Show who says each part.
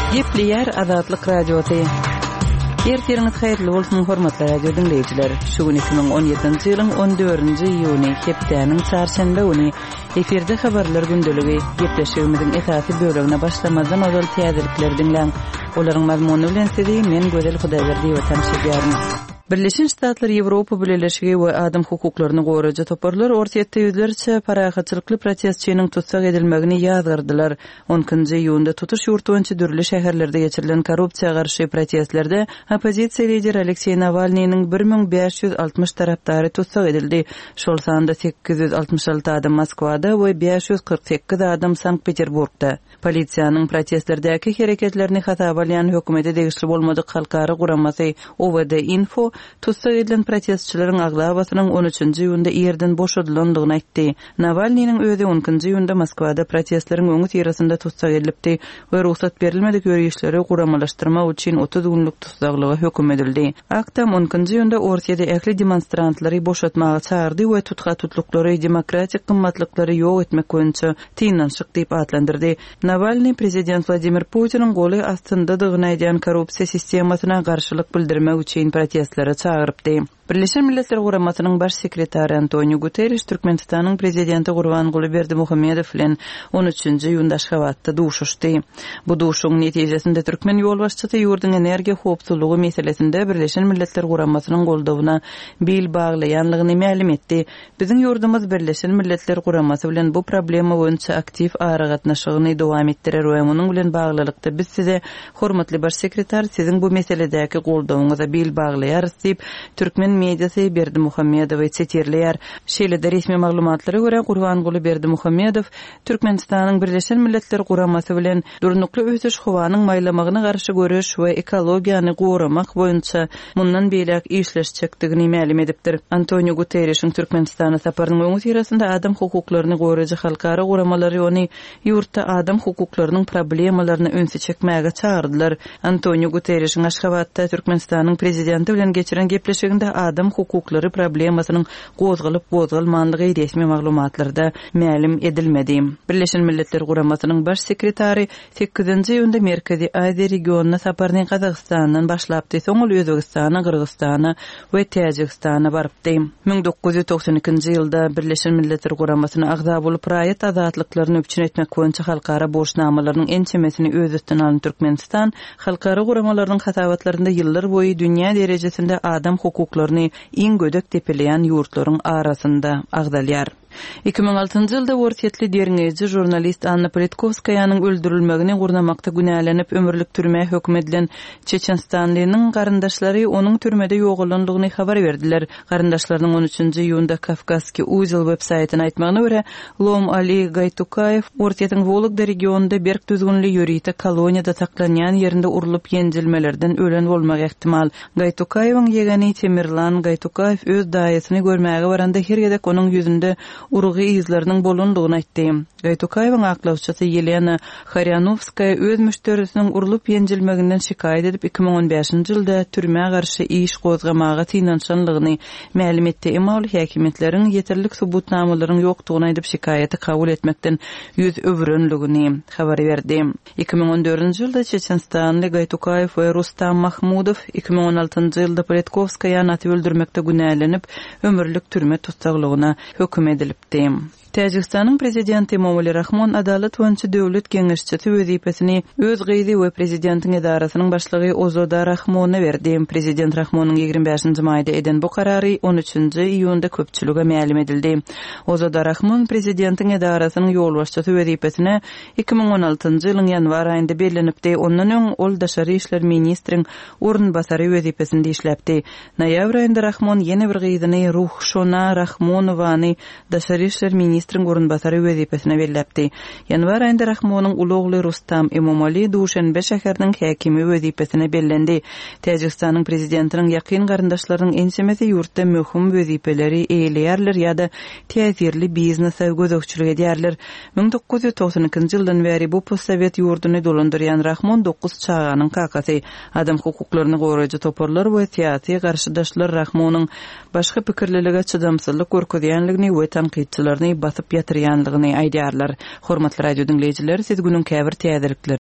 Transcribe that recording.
Speaker 1: Gepleýär Azatlyk Radiosy. Ertiriňiz haýyrly bolsun, hormatly radio diňleýjiler. Şu gün 2017-nji ýylyň 14-nji iýuny, hepdäniň çarşenbe güni. Efirde habarlar gündeligi. Gepleşigimiziň esasy bölegine başlamazdan ozal täzelikleri diňläň. Olaryň mazmuny bilen sizi men Gözel Hudaýberdiýewa tanyş edýärin. Birleşen Ştatlar, Ýewropa Bileleşigi we adam hukuklaryny goraýjy toparlar Orsýetde ýüzlerçe parahatçylykly protestçiniň tussag edilmegini ýazgardylar. On ikinji iýunda tutuş ýurt boýunça dürli şäherlerde geçirilen korrupsiýa garşy protestlerde oppozisiýa lideri Alekseý Nawalnynyň 1560 tarapdary tussag edildi, şol sanda 866 adam Moskwada we 548 adam Sankt-Peterburgda. Polisiýanyň protestlerdäki hereketlerini hasaba alýan hökümete degişli bolmadyk halkara guramasy OVD-Info tussag edilen protestçileriň aglabasynyň on üçünji iýunda irden boşadylandygyny aýtdy. Nawalnynyň özi on ikinji iýunda Moskwada protestleriň öňüsyrasynda tussag edilipdi we rugsat berilmedik ýörişleri guramalaşdyrmak üçin 30 günlük tussaglyga höküm edildi. Ak Tam on ikinji iýunda Orsýede ähli demonstrantlary boşatmaga çagyrdy we tutha-tutluklary demokratik gymmatlyklary ýok etmek boýunça synanyşyk diýip atlandyrdy. Nawalnyý prezident Wladimir Putiniň goly astyndadygyny aýdýan korrupsiýa sistemasyna garşylyk bildirmek üçin protestlere çagyrypdy. Birleşen Milletler Guramasynyň Baş sekretary Antoniu Guterriş Türkmenistanyň Prezidenti Gurbanguly Berdimuhamedow bilen on üçünji iýunda Aşgabatda duşuşdy. Bu duşuşygyň netijesinde türkmen ýolbaşçysy ýurduň energiýa howpsuzlygy meselesinde Birleşen Milletler Guramasynyň goldawyna bil baglaýanlygyny mälim etdi. Biziň ýurdumyz Birleşen Milletler Guramasy bilen bu problema boýunça aktiw aragatnaşygyny dowam etdirer we munuň bilen baglylykda biz size, hormatly Baş sekretar, siziň bu meseledäki goldawyňyza bil baglaýarys diýip, türkmen mediasy Berdimuhamedowy sitirleýär. Şeýle-de resmi maglumatlara görä, Gurbanguly Berdimuhamedow Türkmenistanyň Birleşen Milletler Guramasy bilen Durnukly ösüş, howanyň maýlamagyna garşy göreş we ekologiýany goramak boýunça mundan beýläk işleşjekdigini mälim edipdir. Antoniu Guterrişiň Türkmenistana saparynyň öňüsyrasynda adam hukuklaryny goraýjy halkara guramalary ony ýurtda adam hukuklarynyň problemalaryna ünsi çekmäge çagyrdylar. Antoniu Guterrişiň Aşgabatda Türkmenistanyň Prezidenti bilen geçiren gepleşiginde adam hukuklary problemasynyň gozgalyp-gozgalmanlygy resmi maglumatlarda mälim edilmedi. Birleşen Milletler Guramasynyň Baş sekretary sekizinji iýunda Merkezi Aziýa regionyna saparyny Gazagystandan başlapdy, soň ol Özbegistana, Gyrgyzystana we Täjigistana barypdy. 1992-nji ýylda Birleşen Milletler Guramasyna agza bolup, raýat azatlyklaryny üpjün etmek boýunça halkara borçnamalarynyň ençemesini öz üstüne alan Türkmenistan halkara guramalarynyň hasabatlarynda ýyllar boýy dünýä derejesinde adam hukuklaryny iň gödek depeleýän ýurtlaryň arasynda agzalýar. 2006-njy ýylda orsýetli derňeýji žurnalist Anna Politkowskaýanyň öldürilmegini gurnamakda günälenip ömürlik türmä höküm edilen çeçenistanlynyň garyndaşlary onuň türmede ýogalandygyny habar berdiler. Garyndaşlarynyň on üçünji iýunda Kawkazskiý uzel web-saýtyna aýtmagyna görä, Lom Ali Gaýtukaýew Orsýetiň Wologda regionynda berk düzgünli ýörite koloniýada saklanýan ýerinde urlup-ýenjilmelerden ölen bolmagy ähtimal. Gaýtukaýewiň ýegeni Temirlan Gaýtukaýew öz daýysyny görmäge baranda her gezek onuň ýüzünde urgy yzlarynyň bolandygyny aýtdy. Gaýtukaýewiň aklawçysy Ýelena Harýanowskaýa öz müşderisiniň urlup-ýenjilmeginden şikaýat edip, 2015-nji ýylda türmä garşy iş gozgamaga synanyşanlygyny mälim etdi, emma ol häkimiýetleriň ýeterlik subutnamalaryň ýokdugyny aýdyp, şikaýaty kabul etmekden ýüz öwürenligini habar berdi. 2014-nji ýylda çeçenistanly Gaýtukaýew we Rustam Mahmudow, 2016-njy ýylda Politkowskaýany atyp öldürmekde günälenip, ömürlik türme tussaglygyna höküm edilipdi. Täjigistanyň prezidenti Emomali Rahmon Adalat boýunça döwlet geňeşçisi wezipesini öz gyzy we prezidentiň edarasynyň başlygy Ozoda Rahmona berdi. Prezident Rahmonyň 25-nji maýda eden bu karary on üçünji iýunda köpçülige mälim edildi. Ozoda Rahmon prezidentiň edarasynyň ýolbaşçysy wezipesine 2016-njy ýylyň ýanwar aýynda bellenipdi. Ondan öň ol daşary işler ministriň orunbasary wezipesinde işläpdi. Noýabr aýynda Rahmon ýene bir gyzyny Ruhşona Rahmonowany daşary işler ministriň orunbasary wezipesine belläpdi. Ýanwar aýynda Rahmonyň uly ogly Rustam Emomali Duşenbe şäheriniň häkimi wezipesine bellendi. Täjigistanyň prezidentiniň ýakyn garyndaşlarynyň ençemesi ýurtda möhüm wezipeleri eýeleýärler ýa-da täsirli biznese gözegçilik edýärler. 1992-nji ýyldan bäri bu postsowet ýurduny dolandyrýan Rahmon dokuz çaganyň kakasy. Adam hukuklaryny goraýjy toparlar we syýasy garşydaşlar Rahmonyň başga pikirlilige çydamsyzlyk görkezýänligini we tankytçylaryny basyp ýatyrýanlygyny aýdýarlar. Hormatly radio diňleýjiler, siz günüň käbir täzelikleri.